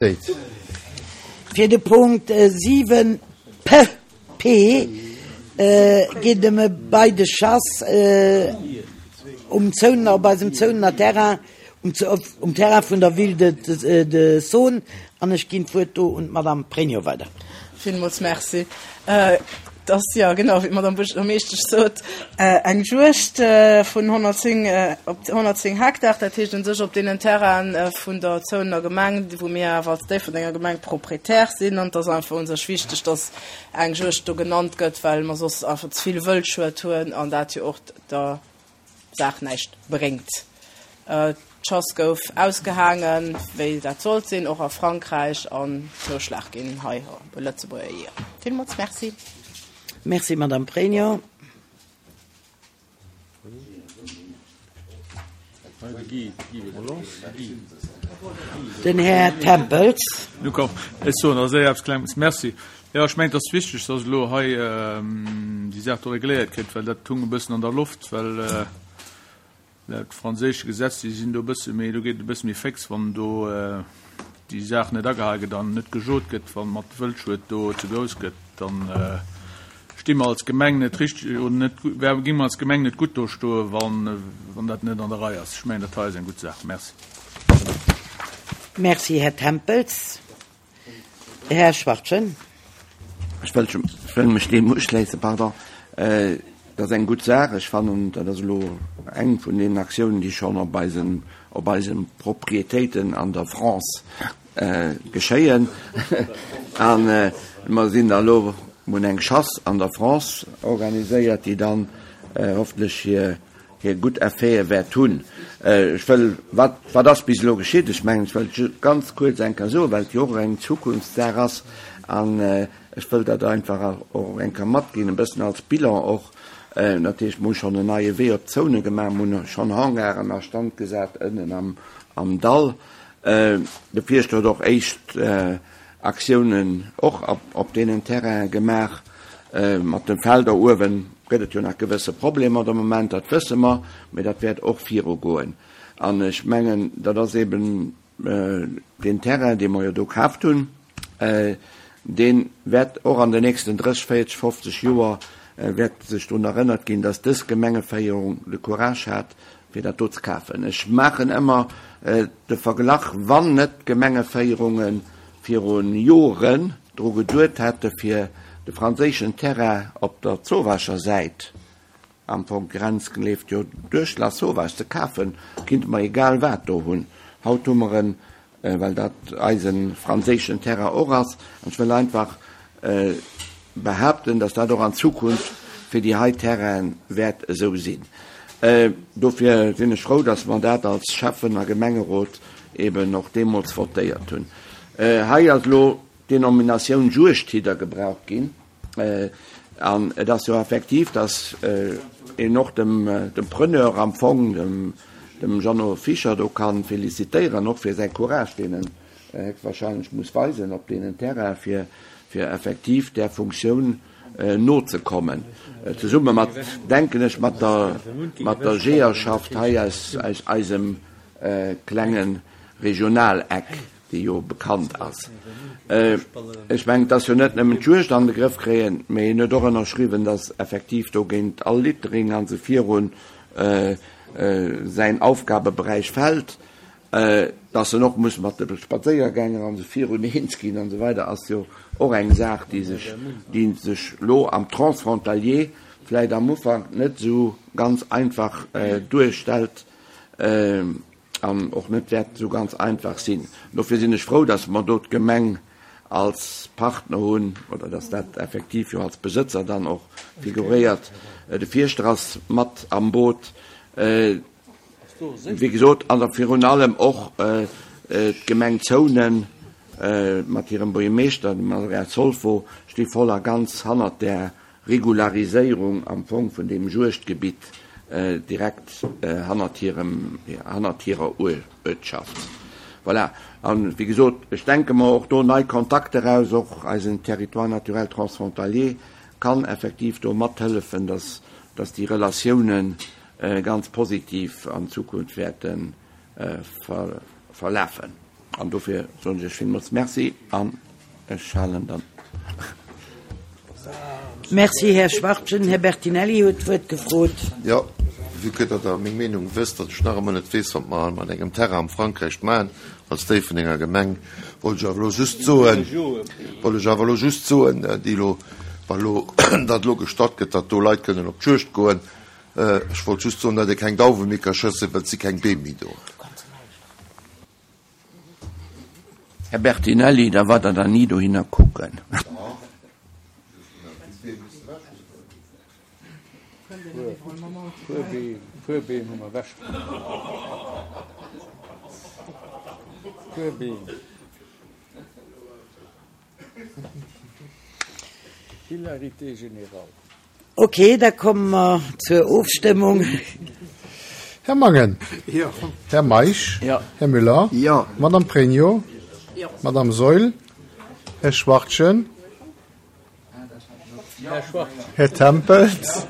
Fir de Punkt 7 PP geet ëm e Bail de chasse um Zounener, op eisem Zounener Terrain, um Terrain vun der Ville de Saône. An ech ginn d'Wuert do un d'Madame Pregno weider. Villmools Merci. Et ass, jo genau, wéi d'Madame Buergermeeschtesch sot, eng Juegd vun 110, op 110 Hektar, dat heescht u sech op deenen Terraine vun der Zounener Gemeng, wou mir awer als Déifferdenger Gemeng Proprietär sinn. An et ass einfach u sech wichteg, dass eng Juegd do genannt gëtt, well mer soss einfach ze vill Wëldschued hunn an dat jo och der Saach näischt bréngt. D'Chasse gouf ausgehaangen, wéi dat sollt sinn, och a Frankräich, an Zouschlag ginn hei u Lëtzebuerger Jeeër. Villmools Merci. Merci, Madame Pregno. Den Här Tempels. Ech soen als éischt eppes Klenges. Merci. Jo, ech mengen, et ass wichteg, dass elo hei déi Saach do regléiert kritt, well dat hung e bëssen an der Loft, well laut franséische Gesetz, déi sinn do e bësse méi, do geet et e bësse méi féx, wann do déi Saach net agehal gëtt an net gejot gëtt, wa mat Wëldschued do ze grouss gëtt, dann sti mer als Gemeng net richteg oder net, géinge mer als Gemeng net gutt do stoen, wann dat net an der Rei ass. Ech mengen, dat hei ass eng gutt Saach. Merci. Merci, Här Tempels. Här Schwachtgen. Ech wëll, ech wëll mech deem uschléissen, pardon. Dat ass eng gutt Saach. Ech fannen, dat ass elo eng vun deenen Aktiounen, déi schonn op eisen, op eise Propriétéiten an der France geschéien. A mer sinn da elo, mer hunn eng Chasse an der France organiséiert, déi dann hoffentlech hir hir gutt Effete wäert hunn. Ech wëll, wat, wat ass bis elo geschitt? Ech mengen, ech wëll ganz kuerz eng Kéier soen, well et jo och eng Zukunftssaach ass, an ech wëll dat einfach och eng Kéier matginn, e bëssen als Bilan och. Dat heescht, mer hu schonn en neie Wee op d'Zone gemaach, mer hunn schonn Hangaren a Stand gesat ënnen am, am Dall. De Fierschter huet och éischt Aktiounen och op deenen Terrainen gemaach. Mat de Felder uewen gëtt et jo nach gewësse Problemer de Moment, dat wësse mer, mee dat wäert och virugoen. An ech mengen, dat ass eben deen Terrain, dee mer jo do kaaft hunn, dee wäert och an den nächsten 30, 40, 50 Joer wäert sech drun erënnert ginn, dass dës Gemengeféierung de Courage hat, fir dat do ze kafen. Ech maachen ëmmer de Verglach, wann net d'Gemengeféierunge viru Joren dru geduet hätte fir de franséischen Terrain op der Zowaacher Säit, am Fong d'Grenz leeft jo duerch Lasauvage, ze kafen, kinnte mer egal wat do hunn. Haut hu mer en well dat eise franséischen Terrain och ass, an ech wëll einfach behaapten, dass dat och an Zukunft fir déi hei Terraine wäert esou sinn. Dofir sinn ech frou, dass mer dat als Schäffen a Gemengerot eben och deemools votéiert hunn. Hei ass elo d'Denominatioun Juegdhidder gebraucht ginn. An et ass jo effektiv, datt een och dem Preneur am Fong, dem Jeannot Fischer do ka felicitéieren, och fir säi Courage, deen en héchstwahrscheinlech muss weisen op deenen Terrainen, fir effektiv där Funktioun nozekommen, zesumme mat, denken ech, mat der Jeeërschaft hei aus eisem klenge Regionaleck. déi jo bekannt ass. Ech mengen, et ass jo net nëmmen d'Juegd an de Grëff kréien, mee en huet och ënnerschriwwen, datt effektiv do géint all Littering a sou virun säin Aufgabeberäich fält, datt en och muss mat de Spadséiergänger a sou virun eens ginn an esou weider, ass jo och eng Saach, déi sech, déi sech elo am Transfrontalier vläicht am Ufank net esou ganz einfach duerstellt. An och net wäert esou ganz einfach sinn. Dofir sinn ech frou, dass mer do d'Gemeng als Partner hunn, oder dass dat effektiv jo als Besëtzer dann och figuréiert. De Fierschter ass mat am Boot, wéi gesot, an da virun allem och d'Gemeng Zounen mat hirem Buergermeeschter, dem Andrea Zolfo, sti voll a ganz hannert där Regulariséierung am Fong vun deem Juegdgebitt direkt hannert hirem, hannert hirer Uertschaft. Voilà. An, wéi gesot, ech denke mer och do nei Kontakter aus, och eisen Territoire naturel transfrontalier kann effektiv do mathëllefen, dass, dass déi Relatiounen ganz positiv an Zukunft wäerte verlafen. An dofir soen ech Iech villmools Merci an ech halen dann. Merci, Här Schwachtgen. Här Bertinelli huet d'Wuert gefrot. Jo, vue que datt Der meng Meenung wësst, datt ech nach ëmmer net weess, wat mer mat engem Terrain am Frankräich maachen als Déifferdenger Gemeng, wollt ech awer elo just soen, wollt ech awer elo just soen, déi elo, wa elo dat elo gestatt gëtt, datt do Leit kënnen op d'Juegd goen, ech wollt just soen, datt ee keng Dauwe méi ka schëssen, well et si keng Beem méi do. Här Bertinelli, da waert Der dann ni dohinner kucken. Puer Beem hu mer ewechgeholl. Puer Beem. Hilarité générale. Ok, da komme mer zur Ofstëmmung. Här Mangen. Jo. Här Meisch. Jo. Här Müller. Jo. Madame Pregno. Jo. Madame Saeul. Här Schwachtgen. Här Schwachtgen. Här Tempels.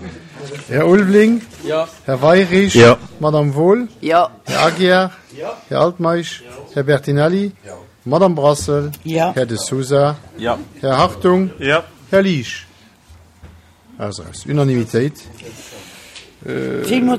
Här Ulveling. Jo. Här Weirich. Jo. Madame Wohl. Jo. Här Aguiar. Jo. Här Altmeisch. Här Bertinelli. Jo. Madame Brassel. Jo. Här De Sousa. Jo. Här Hartung. Jo. Här Liesch. Aus, aus. Unanimitéit. Villmools.